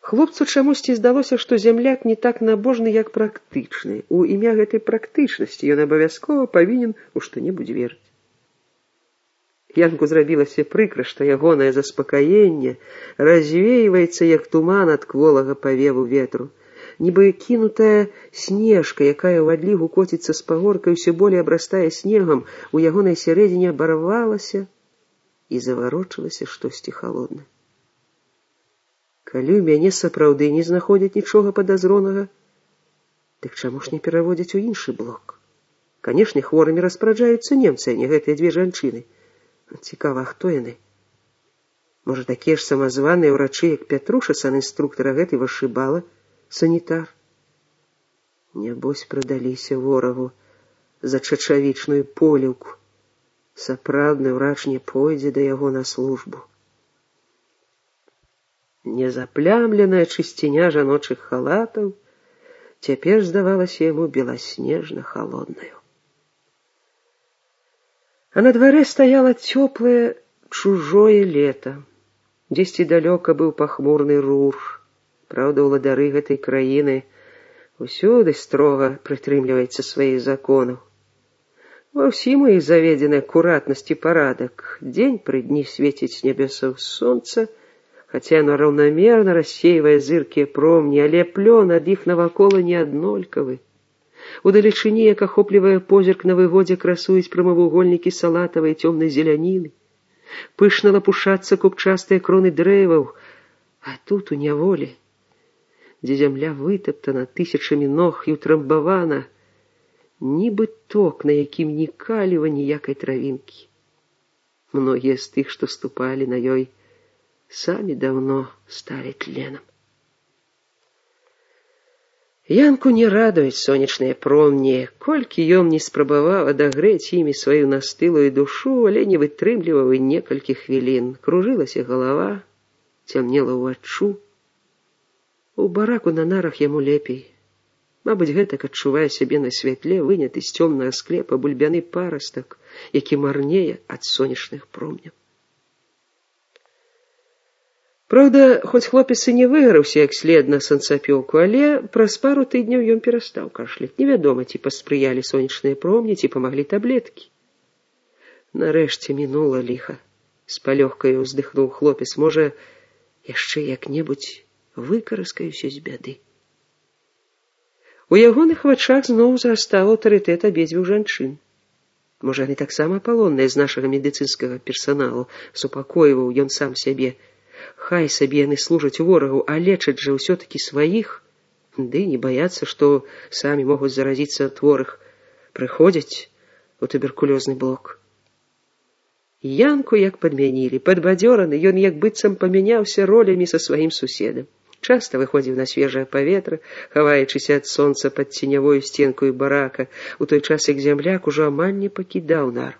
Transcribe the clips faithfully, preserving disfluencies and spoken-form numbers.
Хлопцу чамусьці здалося, што зямляк не так набожны, як практычны. У імя гэтай практычнасці ён абавязкова павінен у што-небудзь верыць. Янку зрабілася прыкра, што ягонае заспакаенне развейваецца, як туман ад кволага павеву ветру. Нібы кінутая снежка, якая ў адлігу коціцца з пагорка і ўсё болей абрастае снегам, у ягонай сярэдзіне абарвалася і заварочылася штосьці халоднае. Калі ў мяне сапраўды не знаходзяць нічога падазронага, дык чаму ж не пераводзяць у іншы блок? Канешне, хворымі распараджаюцца немцы, а не гэтыя дзве жанчыны. Цікава, хто яны? Можа, такія ж самазваныя ўрачы, як Пятруша, санінструктара, гэты вышыбала, санітар? Нябось прадаліся ворагу за чачавічную поліўку. Сапраўдны ўрач не пойдзе да яго на службу. Незаплямленая чысціня жаночых халатаў цяпер здавалася яму беласнежна халоднаю. А на дварэ стаяла цёплае чужое лета. Дзесьці далёка быў пахмурны рур. Праўда, уладары гэтай краіны усюды строга прытрымліваецца сваіх законаў. Ва ўсім у іх заведзены акуратнасць і парадак. Дзень пры дні свеціць з нябёсаў сонца, хаця яно раўнамерна рассейвае зыркія промні, але плён ад іх навакола не аднолькавы. Удалечыні, як ахоплівае позірк, на выводзе красуюць прамавугольнікі салатавай цёмнай зеляніны. Пышна лапушацца купчастыя кроны дрэваў, а тут у няволі, дзе зямля вытаптана тысячамі ног і ўтрамбавана, нібы ток, на якім ні каліва, ніякай травінкі. Многія з тых, што ступалі на ёй, самі даўно сталі тленам. Янку не радуюць сонечныя промні, колькі ён не спрабаваў адагрэць імі сваю настылую душу, але не вытрымліваў і некалькі хвілін. Кружылася галава, цямнела ўваччу. У бараку на нарах яму лепей. Мабыць, гэтак адчувае сябе на святле выняты з цёмнага склепа бульбяны парастак, які марнее ад сонечных промняў. Праўда, хоць хлопец і не выгараўся як след на санцапёку, але праз пару тыдняў ён перастаў кашляць. Невядома, ці паспрыялі сонечныя промні, ці памаглі таблеткі. Нарэшце мінула ліха. З палёгкаю ўздыхнуў хлопец. Можа, яшчэ як-небудзь выкараскаюся з бяды. У ягоных вачах зноў зрастаў аўтарытэт абедзвюх жанчын. Можа, яны таксама палонныя з нашага медыцынскага персаналу, супакойваў ён сам сябе. Хай сабе яны служаць ворагу, а лечаць жа ўсё-такі сваіх, ды не баяцца, што самі могуць заразіцца ад хворых, прыходзяць у туберкулёзны блок. Янку як падмянілі, падбадзёраны, ён як быццам памяняўся ролямі са сваім суседам. Часта выходзіў на свежае паветра, хаваючыся ад сонца пад ценявою сценкаю барака, у той час як зямляк ужо амаль не пакідаў нар.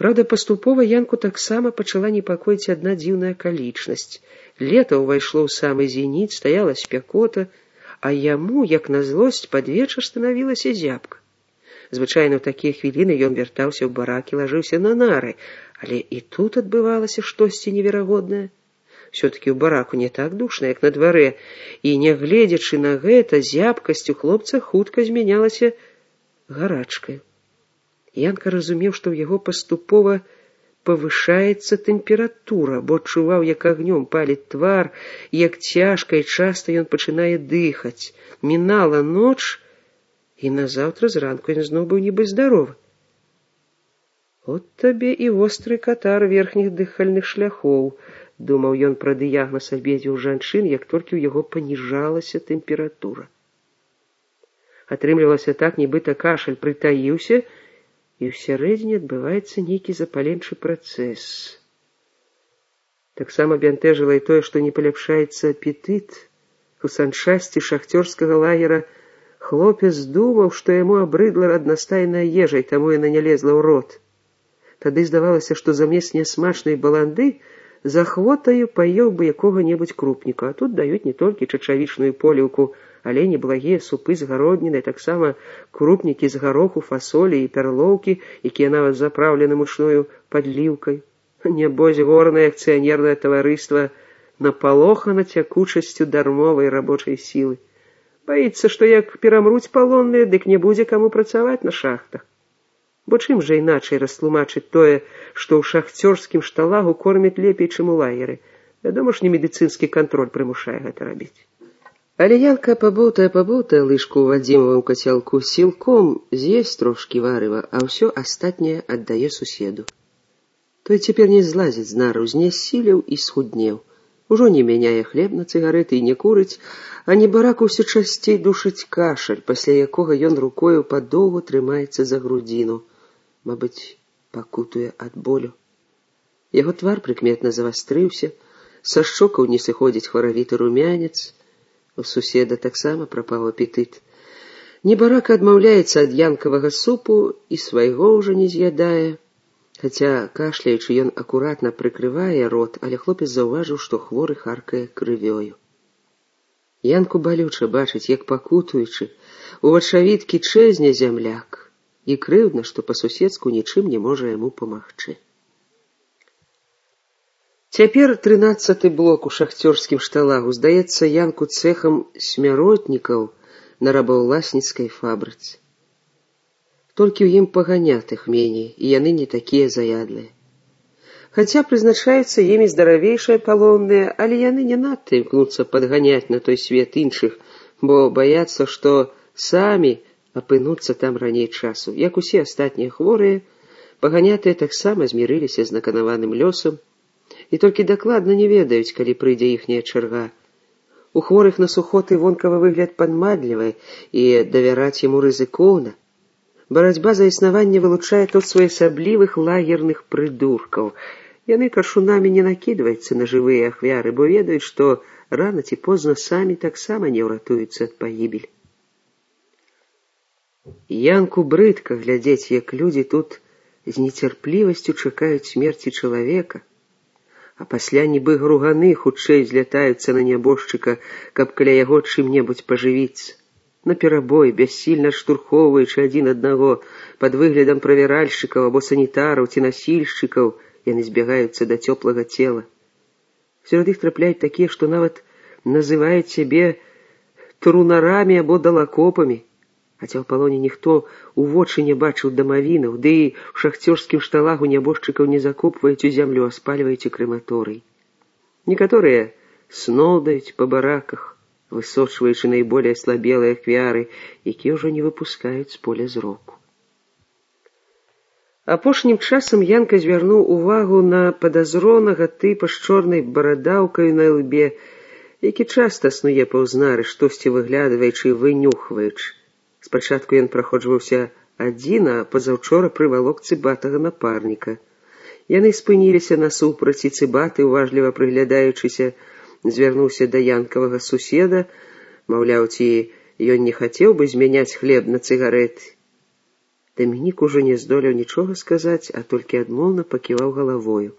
Праўда, паступова Янку таксама пачала непакоіць адна дзіўная акалічнасць. Лета ўвайшло ў самы зеніт, стаяла спякота, а яму, як на злосць, пад вечар станавілася зябка. Звычайна ў такія хвіліны ён вяртаўся ў барак і лажыўся на нары, але і тут адбывалася штосьці неверагоднае. Усё-такі ў бараку не так душна, як на дварэ, і, нягледзячы на гэта, зябкасць у хлопца хутка змянялася гарачкай. Янка разумеў, што ў яго паступова павышаецца тэмпература, бо адчуваў, як агнём паліць твар, як цяжка і часта ён пачынае дыхаць. Мінала ноч, і назаўтра зранку ён зноў быў нібы здаровы. От табе і востры катар верхніх дыхальных шляхоў, думаў ён пра дыягназ абедзвюх жанчын, як толькі ў яго паніжалася тэмпература. Атрымлівалася так, нібыта кашаль прытаіўся, і ўсярэдзіне адбываецца нейкі запаленчы працэс. Таксама бянтэжыла і тое, што не паляпшаецца апетыт. У санчасці шахцёрскага лагера хлопец думаў, што яму абрыдла аднастайная ежа, і таму яна не лезла ў рот. Тады здавалася, што замест нясмачнай баланды за хвотаю паеў бы якога-небудзь крупніка, а тут даюць не толькі чачавічную поліўку, але неблагія супы з гародніны, таксама крупнікі з гароху, фасолі і пярлоўкі, якія нават запраўлены мучною падліўкай. Нябось горнае акцыянернае таварыства напалохана цякучасцю дармовай рабочай сілы. Баіцца, што як перамруць палонныя, дык не будзе каму працаваць на шахтах. Бо чым жа іначай растлумачыць тое, што ў шахцёрскім шталагу кормяць лепей, чым у лагеры? Вядома ж, не медыцынскі кантроль прымушае гэта рабіць. Але Янка пабоўтае-пабоўтае лыжку ў Вадзімавым кацялку, сілком з'есць трошкі варыва, а ўсё астатняе аддае суседу. Той цяпер не злазіць з нару, знясілеў і схуднеў. Ужо не мяняе хлеб на цыгарэты і не курыць, а небарак усё часцей душыць кашаль, пасля якога ён рукою падоўгу трымаецца за грудзіну. Мабыць, пакутуе ад болю. Яго твар прыкметна завастрыўся, са шчокаў не сыходзіць хваравіты румянец. У суседа таксама прапаў апетыт. Небарака адмаўляецца ад янкавага супу і свайго ўжо не з'ядае. Хаця, кашляючы, ён акуратна прыкрывае рот, але хлопец заўважыў, што хворы харкае крывёю. Янку балюча бачыць, як пакутуючы, у вачавіткі чэзне зямляк, і крыўдна, што па-суседску нічым не можа яму памагчы. Цяпер трынаццаты блок у шахцёрскім шталагу здаецца Янку цэхам смяротнікаў на рабаўласніцкай фабрыцы. Толькі ў ім паганятых меней, і яны не такія заядлыя. Хаця прызначаюцца імі здаравейшыя палонныя, але яны не надта імкнуцца падганяць на той свет іншых, бо баяцца, што самі апынуцца там раней часу. Як усе астатнія хворыя, паганятыя таксама змірыліся з наканаваным лёсам, і толькі дакладна не ведаюць, калі прыйдзе іхняя чарга. У хворых на сухоты вонкавы выгляд падмадлівы, і давяраць яму рызыкоўна. Барацьба за існаванне вылучае тут своеасаблівых лагерных прыдуркаў. Яны каршунамі не накідваюцца на жывыя ахвяры, бо ведаюць, што рана ці позна самі таксама не ўратуюцца ад пагібель. Янку брыдка глядзець, як людзі тут з нецярплівасцю чакаюць смерці чалавека, а пасля нібы груганы хутчэй злятаюцца на нябожчыка, каб каля яго чым-небудзь пажывіцца. Наперабой, бяссільна штурхоўваючы адзін аднаго, пад выглядам правяральшчыкаў або санітараў ці насільшчыкаў, яны збягаюцца да цёплага цела. Сярод іх трапляюць такія, што нават называюць сябе трунарамі або далакопамі, хаця ў палоне ніхто у вочы не бачыў дамавінаў, ды і ў шахцёрскім шталагу нябожчыкаў не закопваюць у зямлю, а спальваюць у крэматорый. Некаторыя сноўдаюць па бараках, высочваючы найболее слабелыя ахвяры, якія ўжо не выпускаюць з поля зроку. Апошнім часам Янка звярнуў увагу на падазронага тыпа з чорнай барадаўкаю на лбе, які часта снуе паўз нары, штосьці выглядваючы і вынюхваючы. Спачатку ён праходжваўся адзін, а пазаўчора прывалок цыбатага напарніка. Яны спыніліся насупраць, і цыбаты, уважліва прыглядаючыся, звярнуўся да янкавага суседа, маўляў, ці ён не хацеў бы змяняць хлеб на цыгарэты. Дамінік ужо не здолеў нічога сказаць, а толькі адмоўна паківаў галавою.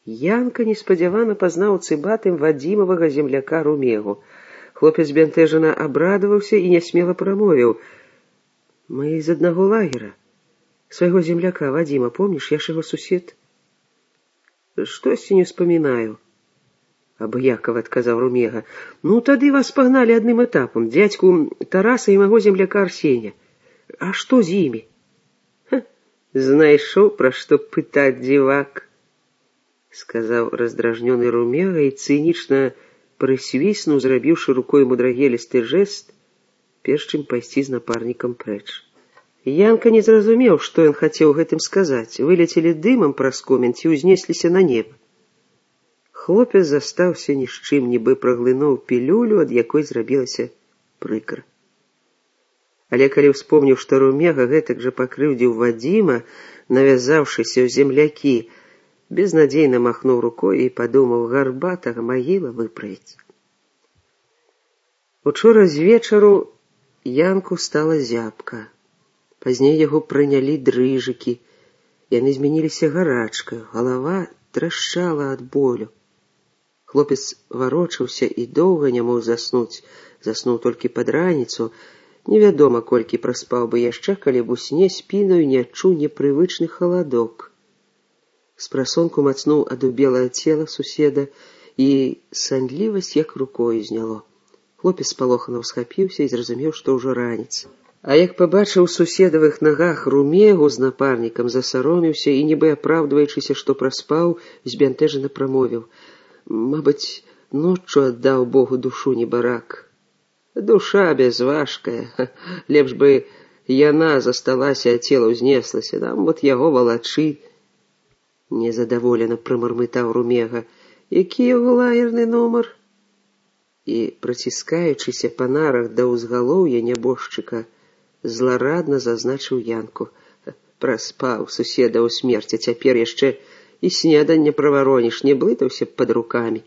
Янка неспадзявана пазнаў цыбатым Вадзімавага земляка Румегу. Хлопец бянтэжана абрадаваўся і нясмела прамовіў: «Мы з аднаго лагера. Свайго земляка Вадзіма, помніш, я ж яго сусед?» «Штосьці не ўспамінаю», абыякава адказаў Румега. «Ну, тады вас пагналі адным этапам, дзядзьку Тараса і майго земляка Арсеня. А што з імі?» «Знайшоў, пра што пытаць, дзівак», сказаў раздражнёны Румега і цынічна прысвіснуў, зрабіўшы рукой мудрагелісты жэст, перш чым пайсці з напарнікам прэч. Янка не зразумеў, што ён хацеў гэтым сказаць. Вылецелі дымам праз комін ці ўзнесліся на неба. Хлопец застаўся ні з чым, нібы праглынуў пілюлю, ад якой зрабілася прыкра. Але калі ўспомніў, што Румега гэтак жа пакрыўдзіў Вадзіма, навязаўшыся ў землякі, безнадзейна махнуў рукой і падумаў: гарбатага магіла выправіць. Учора з вечару Янку стала зябка. Пазней яго прынялі дрыжыкі. Яны змяніліся гарачкаю, галава трашчала ад болю. Хлопец варочаўся і доўга не мог заснуць, заснуў толькі пад раніцу. Невядома, колькі праспаў бы яшчэ, калі б у сне спінаю не адчуў непрывычны халадок. Спрасонку мацнуў адубелае цела суседа і санлівасць як рукою зняло. Хлопец спалохана ўсхапіўся і зразумеў, што ўжо раніца. А як пабачыў суседавых нагах Румегу з напарнікам, засароміўся і, нібы апраўдваючыся, што праспаў, збянтэжана прамовіў: «Мабыць, ноччу аддаў Богу душу небарак. Душа безважкая, лепш бы яна засталася, а цела ўзнеслася, нам вот яго валачы». Незадаволена прамармытаў Румега: «Які яго лагерны нумар?» І, праціскаючыся па нарах да ўзгалоўя нябожчыка, зларадна зазначыў Янку: «Праспаў суседа ў смерці, цяпер яшчэ і снеданне правароніш, не блытаўся б пад рукамі».